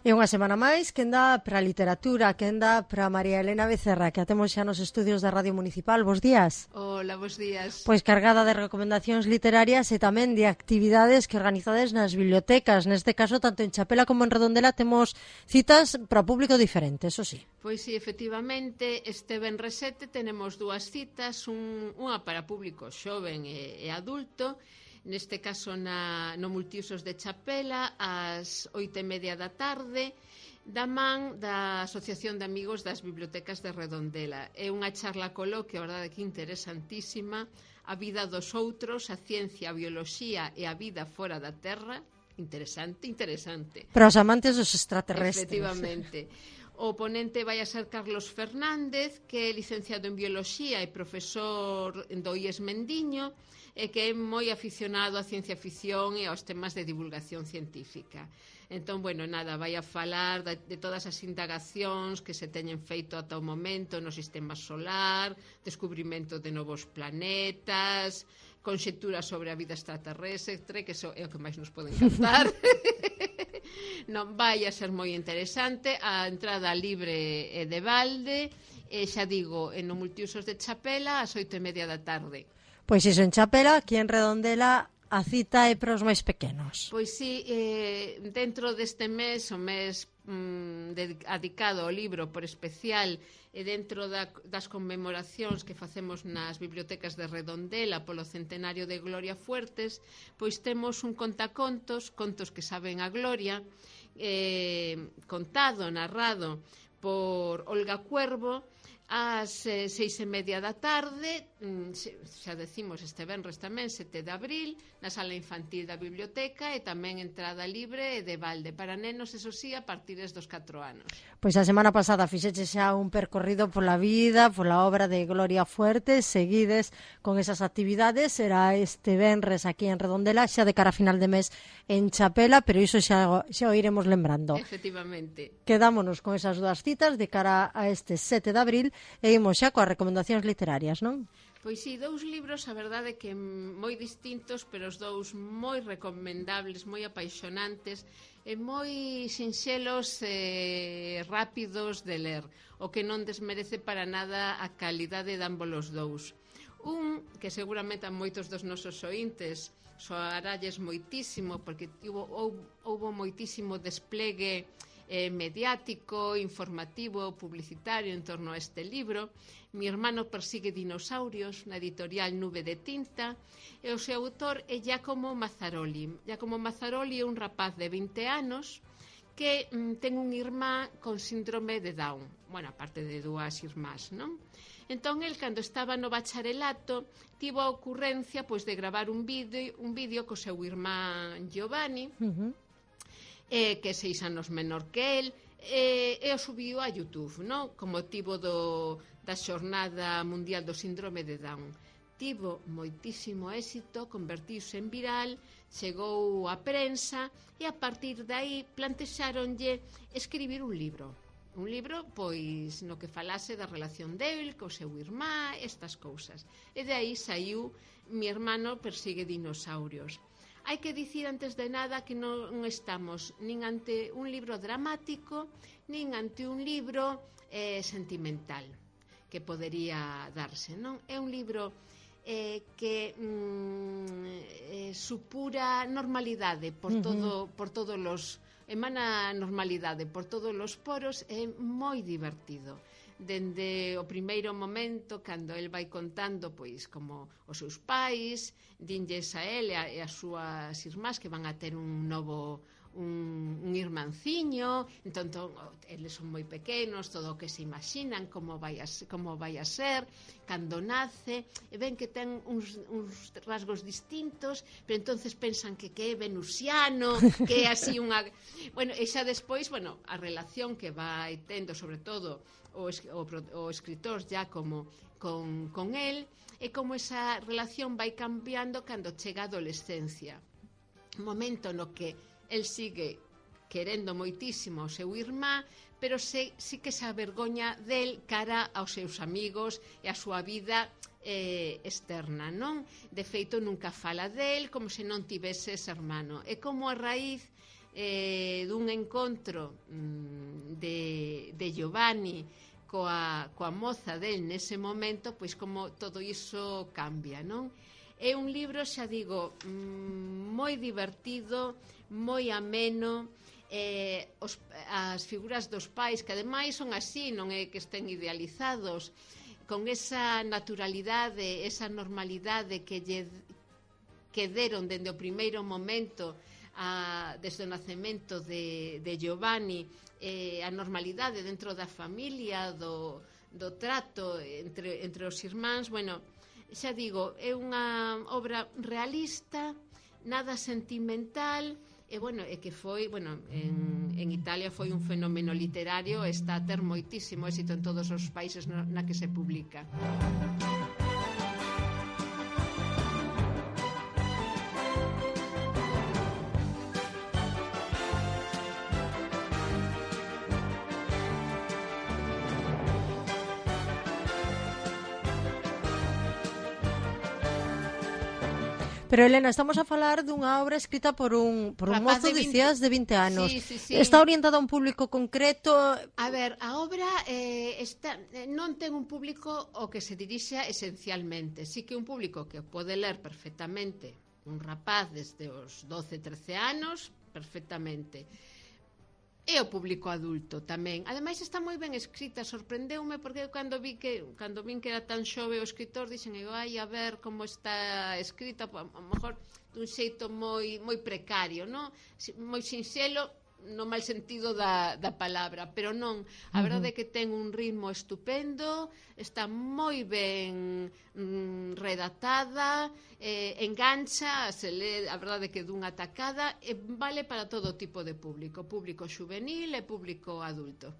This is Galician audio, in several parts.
E unha semana máis, quen dá para a literatura, quen dá para María Elena Becerra, que a temos xa nos estudios da Radio Municipal. Bos días. Hola, bos días. Pois cargada de recomendacións literarias e tamén de actividades que organizades nas bibliotecas. Neste caso, tanto en Chapela como en Redondela, temos citas para público diferente, eso sí. Pois sí, efectivamente, este venres 7 tenemos dúas citas, unha para público xoven e adulto, neste caso no Multiusos de Chapela, ás 8:30 da tarde, da man da Asociación de Amigos das Bibliotecas de Redondela. É unha charla coloquio, a verdade que interesantísima, a vida dos outros, a ciencia, a bioloxía e a vida fora da Terra. Interesante. Para os amantes dos extraterrestres. Efectivamente. O ponente vai a ser Carlos Fernández, que é licenciado en Bioloxía e profesor do IES Mendiño, e que é moi aficionado á ciencia ficción e aos temas de divulgación científica. Entón, bueno, nada, vai a falar de todas as indagacións que se teñen feito ata o momento no sistema solar, descubrimento de novos planetas, conxecturas sobre a vida extraterrestre, que é o que máis nos pode encantar. Non, vai a ser moi interesante, a entrada libre e de balde, e xa digo, no Multiusos de Chapela, ás 8:30 da tarde. Pois iso en Chapela, aquí en Redondela a cita é para os máis pequenos. Pois sí, dentro deste mes, o mes dedicado ao libro por especial, e dentro das conmemoracións que facemos nas bibliotecas de Redondela polo centenario de Gloria Fuertes, pois temos un contacontos, contos que saben a Gloria, contado, narrado por Olga Cuervo, ás 6:30 da tarde, xa decimos este venres tamén, 7 de abril, na sala infantil da biblioteca, e tamén entrada libre e de balde para nenos, eso sí, a partir dos 4 anos. Pois a semana pasada fixeche xa un percorrido pola vida, pola obra de Gloria Fuertes, seguides con esas actividades, será este venres aquí en Redondela, xa de cara a final de mes en Chapela, pero iso xa o iremos lembrando. Efectivamente. Quedámonos con esas dúas citas de cara a este 7 de abril e imos xa coas recomendacións literarias, non? Pois sí, dous libros, a verdade que moi distintos, pero os dous moi recomendables, moi apaixonantes e moi sinxelos e rápidos de ler, o que non desmerece para nada a calidade de ambos os dous. Un que seguramente a moitos dos nosos ointes soaralles moitísimo, porque houbo moitísimo desplegue mediático, informativo, publicitario en torno a este libro. Mi hermano persigue dinosaurios, na editorial Nube de Tinta, e o seu autor é Giacomo Mazzaroli. Giacomo Mazzaroli é un rapaz de 20 anos que ten un irmá con síndrome de Down, bueno, aparte de dúas irmás, non? Entón, el, cando estaba no bacharelato, tivo a ocurrencia pois de gravar un vídeo co seu irmá Giovanni, que é 6 anos menor que el, e o subiu a YouTube, non? Con motivo da xornada mundial do síndrome de Down. Tivo moitísimo éxito, convertiuse en viral, chegou á prensa, e a partir de aí plantexáronlle escribir un libro, pois, no que falase da relación del co seu irmá, estas cousas. E de aí saiu Mi hermano persigue dinosaurios. Hai que dicir antes de nada que non estamos nin ante un libro dramático, nin ante un libro sentimental, que podería darse, non? É un libro que supura normalidade por todos os... emana normalidade por todos os poros, é moi divertido. Dende o primeiro momento, cando el vai contando pois como os seus pais dinlles a el e as súas irmás que van a ter un irmanciño, entón eles son moi pequenos, todo o que se imaginan como vai a ser cando nace, e ven que ten uns rasgos distintos, pero entonces pensan que é venusiano, que é así unha... Bueno, e xa despois, a relación que vai tendo, sobre todo o escritor Giacomo con el, e como esa relación vai cambiando cando chega a adolescencia, momento no que el sigue querendo moitísimo o seu irmá, pero sí que se avergoña del cara aos seus amigos e a súa vida externa, non? De feito, nunca fala del como se non tivese ese hermano. E como a raíz dun encontro de Giovanni coa moza del nese momento, pois como todo iso cambia, non? É un libro, xa digo, moi divertido, moi ameno, as figuras dos pais, que ademais son así, non é que estén idealizados, con esa naturalidade, esa normalidade que deron dende o primeiro momento, desde o nacemento de Giovanni, a normalidade dentro da familia, do trato entre os irmáns. Bueno, xa digo, é unha obra realista, nada sentimental, e bueno, é que foi, bueno, en Italia foi un fenómeno literario, está a ter moitísimo éxito en todos os países na que se publica. Pero, Elena, estamos a falar dunha obra escrita por un mozo, dicías, de 20 anos. Sí. Está orientada a un público concreto? A ver, a obra non ten un público ao que se dirixa esencialmente. Sí que un público que pode ler perfectamente, un rapaz desde os 12, 13 anos, perfectamente. E o público adulto tamén. Ademais está moi ben escrita, sorprendeume porque cando vin que era tan xove o escritor, dixen, ai, a ver como está escrita, a lo mellor dun xeito moi precario, non? Moi sinxelo, no mal sentido da palabra, pero non, a verdade é que ten un ritmo estupendo, está moi ben redactada, engancha, se lee, a verdade é que dunha tacada, e vale para todo tipo de público xuvenil e público adulto.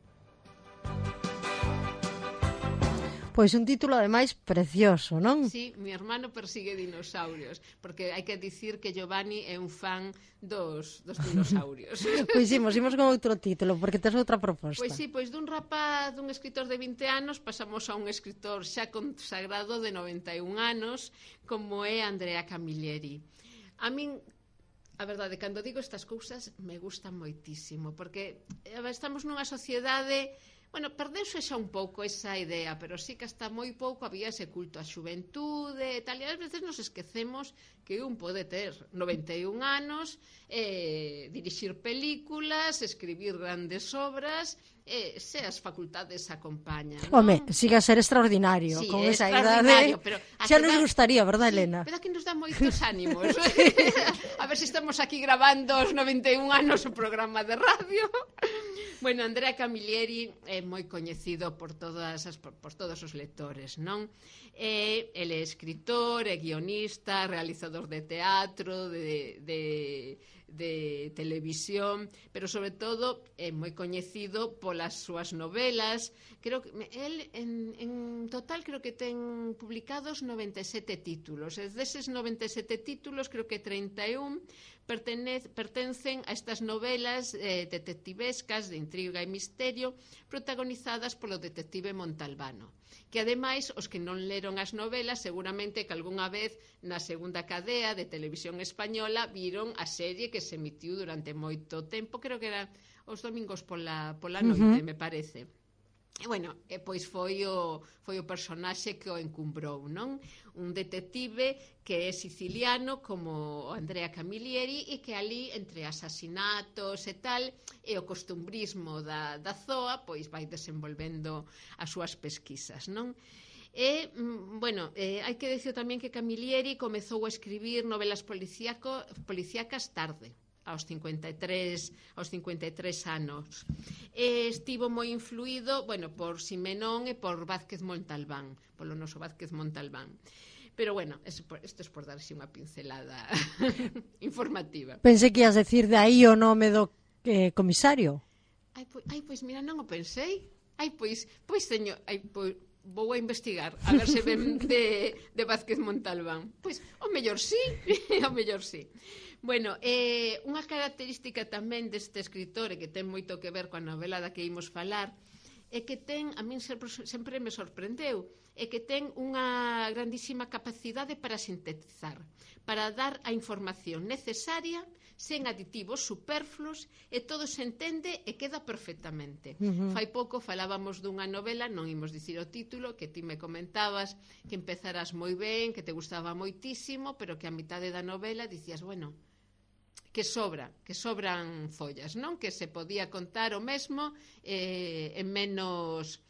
Pois un título, ademais, precioso, non? Sí, mi hermano persigue dinosaurios, porque hai que dicir que Giovanni é un fan dos dinosaurios. Pois imos con outro título, porque tes outra proposta. Pois sí, pois dun rapaz, dun escritor de 20 anos, pasamos a un escritor xa consagrado de 91 anos, como é Andrea Camilleri. A min, a verdade, cando digo estas cousas, me gustan moitísimo, porque estamos nunha sociedade... Bueno, perdeuse xa un pouco esa idea, pero sí que hasta moi pouco había ese culto á xuventude e tal, e ás veces nos esquecemos que un pode ter 91 anos, dirixir películas, escribir grandes obras, se as facultades acompañan, non? Home, siga a ser extraordinario, sí, con esa idade. Xa nos gustaría, verdad, Elena? Pero que nos dá moitos ánimos. A ver se estamos aquí grabando os 91 anos o programa de radio. Bueno, Andrea Camilleri é moi coñecido por todos os lectores, non? El é escritor, é guionista, realizador de teatro, de televisión, pero sobre todo é moi coñecido polas súas novelas. Creo que el en total creo que ten publicados 97 títulos. E deses 97 títulos, creo que 31 pertencen a estas novelas detectivescas de intriga e misterio protagonizadas polo detective Montalbano, que ademais os que non leron as novelas seguramente que algunha vez na segunda cadea de televisión española viron a serie que se emitiu durante moito tempo, creo que era os domingos pola noite, me parece. E, bueno, pois foi o personaxe que o encumbrou, non? Un detective que é siciliano como Andrea Camilleri e que ali, entre asasinatos e tal, e o costumbrismo da zoa, pois vai desenvolvendo as súas pesquisas, non? E, bueno, hai que dicir tamén que Camilleri comezou a escribir novelas policíacas tarde, aos 53 anos. Estivo moi influído, bueno, por Simenón e por Vázquez Montalbán, polo noso Vázquez Montalbán. Pero bueno, isto é por darse unha pincelada informativa. Pensei que ias decir de aí o nome do comisario. Pois mira, non o pensei. Pois señor, vou a investigar, a ver se ven de Vázquez Montalbán. Pois, o mellor sí, o mellor sí. Bueno, unha característica tamén deste escritor e que ten moito que ver coa novela da que imos falar é que ten, a min sempre me sorprendeu, é que ten unha grandísima capacidade para sintetizar, para dar a información necesaria, sen aditivos superfluos, e todo se entende e queda perfectamente. Fai pouco falábamos dunha novela, non imos dicir o título, que ti me comentabas que empezarás moi ben, que te gustaba moitísimo, pero que a mitade da novela dicías, bueno, que sobran follas, non? Que se podía contar o mesmo en menos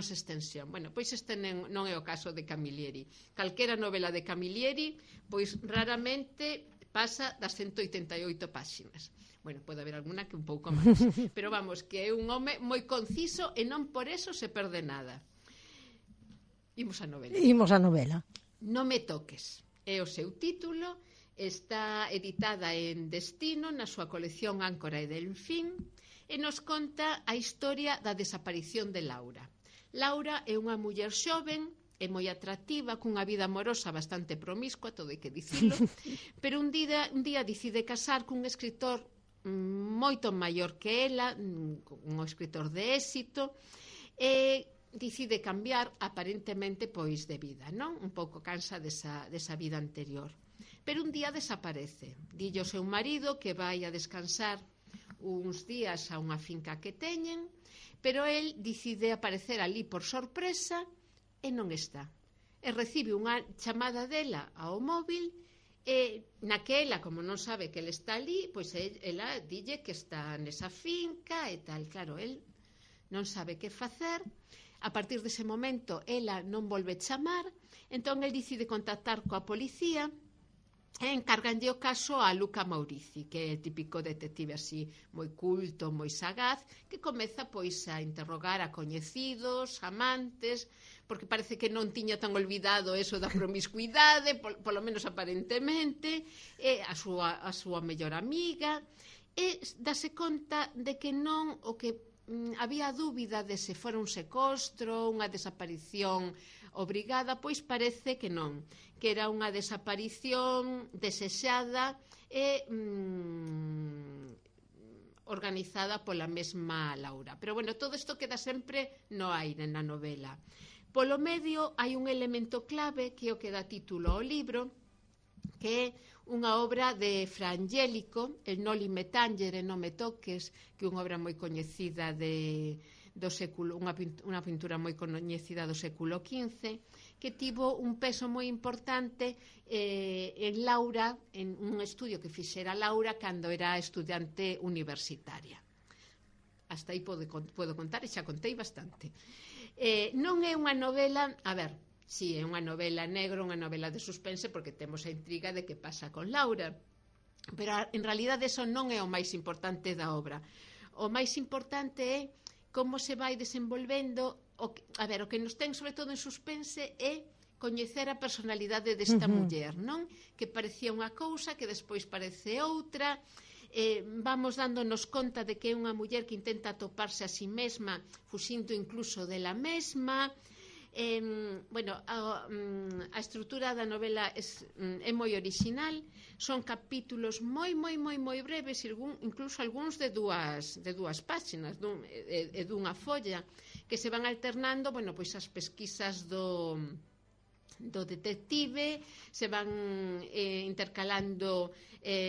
extensión. Bueno, pois este non é o caso de Camilleri. Calquera novela de Camilleri, pois raramente pasa das 188 páxinas. Bueno, pode haber alguna que un pouco máis, pero vamos, que é un home moi conciso e non por eso se perde nada. Imos a novela. Non me toques. É o seu título. Está editada en Destino na súa colección Áncora e Delfín e nos conta a historia da desaparición de Laura. Laura é unha muller xoven e moi atractiva, cunha vida amorosa bastante promiscua, todo hai que dicilo, pero un día decide casar cun escritor moito maior que ela, un escritor de éxito, e decide cambiar aparentemente pois de vida, non? Un pouco cansa desa vida anterior. Pero un día desaparece. Dille ao seu marido que vai a descansar uns días a unha finca que teñen, pero el decide aparecer ali por sorpresa e non está. E recibe unha chamada dela ao móvil e naquela, como non sabe que el está ali, pois ela dille que está nesa finca e tal. Claro, el non sabe que facer. A partir dese momento, ela non volve chamar, entón el decide contactar coa policía e encarganlle o caso a Luca Maurici, que é típico detective así moi culto, moi sagaz, que comeza pois a interrogar a coñecidos, amantes, porque parece que non tiña tan olvidado eso da promiscuidade, polo menos aparentemente, e a súa mellor amiga, e dase conta de que non o que había dúbida de se fora un secuestro, unha desaparición obrigada, pois parece que non, que era unha desaparición desexada e organizada pola mesma Laura. Pero bueno, todo isto queda sempre no aire na novela. Polo medio hai un elemento clave que é o que dá título ao libro, que é unha obra de Fra Angelico, el Noli me tangere, non me toques, que é unha obra moi coñecida do século, unha pintura moi coñecida do século XV, que tivo un peso moi importante en Laura, en un estudio que fixera Laura cando era estudiante universitaria. Hasta aí podo contar, e xa contei bastante. Non é unha novela, a ver, si é unha novela negra, unha novela de suspense, porque temos a intriga de que pasa con Laura, pero en realidade eso non é o máis importante da obra. O máis importante é como se vai desenvolvendo, o que nos ten sobre todo en suspense é coñecer a personalidade desta muller, non? Que parecía unha cousa, que despois parece outra, vamos dándonos conta de que é unha muller que intenta atoparse a si mesma, fuxindo incluso dela mesma. A estrutura da novela é moi orixinal, son capítulos moi breves, incluso algúns de dúas páxinas e dunha folla, que se van alternando, pois as pesquisas do detective, se van intercalando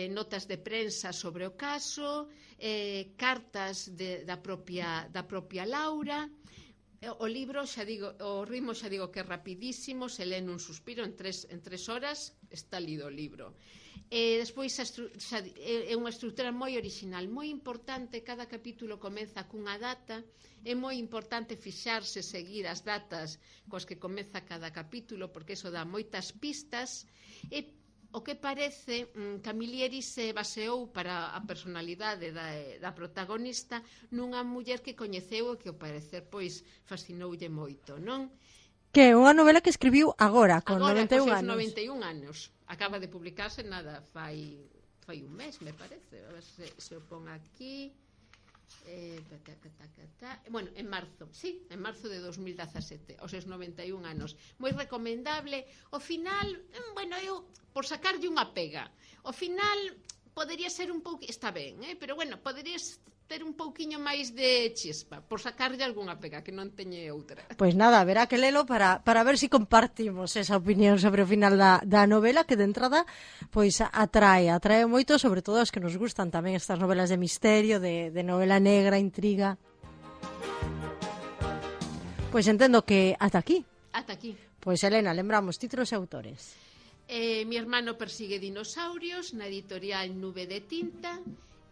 notas de prensa sobre o caso, cartas da propia Laura. O libro, xa digo, o ritmo xa digo que é rapidísimo, se lê nun suspiro, en tres horas está lido o libro. Despois é unha estrutura moi orixinal, moi importante, cada capítulo comeza cunha data, é moi importante fixarse, seguir as datas coas que comeza cada capítulo, porque iso dá moitas pistas, e o que parece, Camilleri se baseou para a personalidade da protagonista nunha muller que coñeceu e que ao parecer pois fascinoulle moito, non? Que é unha novela que escribiu agora, con 91 anos. 91 anos. Acaba de publicarse fai un mes, me parece. A ver se o pon aquí. Bueno, en marzo de 2017, aos seus 91 anos, moi recomendable. O final, eu por sacarlle unha pega, o final podería ser un pouco, está ben, pero bueno, podería ter un pouquiño máis de chispa, por sacarlle algunha pega, que non teñe outra. Pois nada, haberá que lelo para ver se compartimos esa opinión sobre o final da novela, que de entrada pois atrae moito, sobre todo as que nos gustan tamén estas novelas de misterio, de novela negra, intriga. Pois entendo que ata aquí. Ata aquí. Pois Elena, lembramos títulos e autores. Mi hermano persigue dinosaurios, na editorial Nube de Tinta,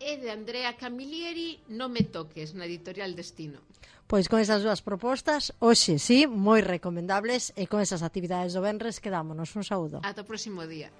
e de Andrea Camilleri, No me toques, na editorial Destino. Pois con esas dúas propostas, hoxe sí, moi recomendables, e con esas actividades do venres quedámonos. Un saúdo. Ata o próximo día.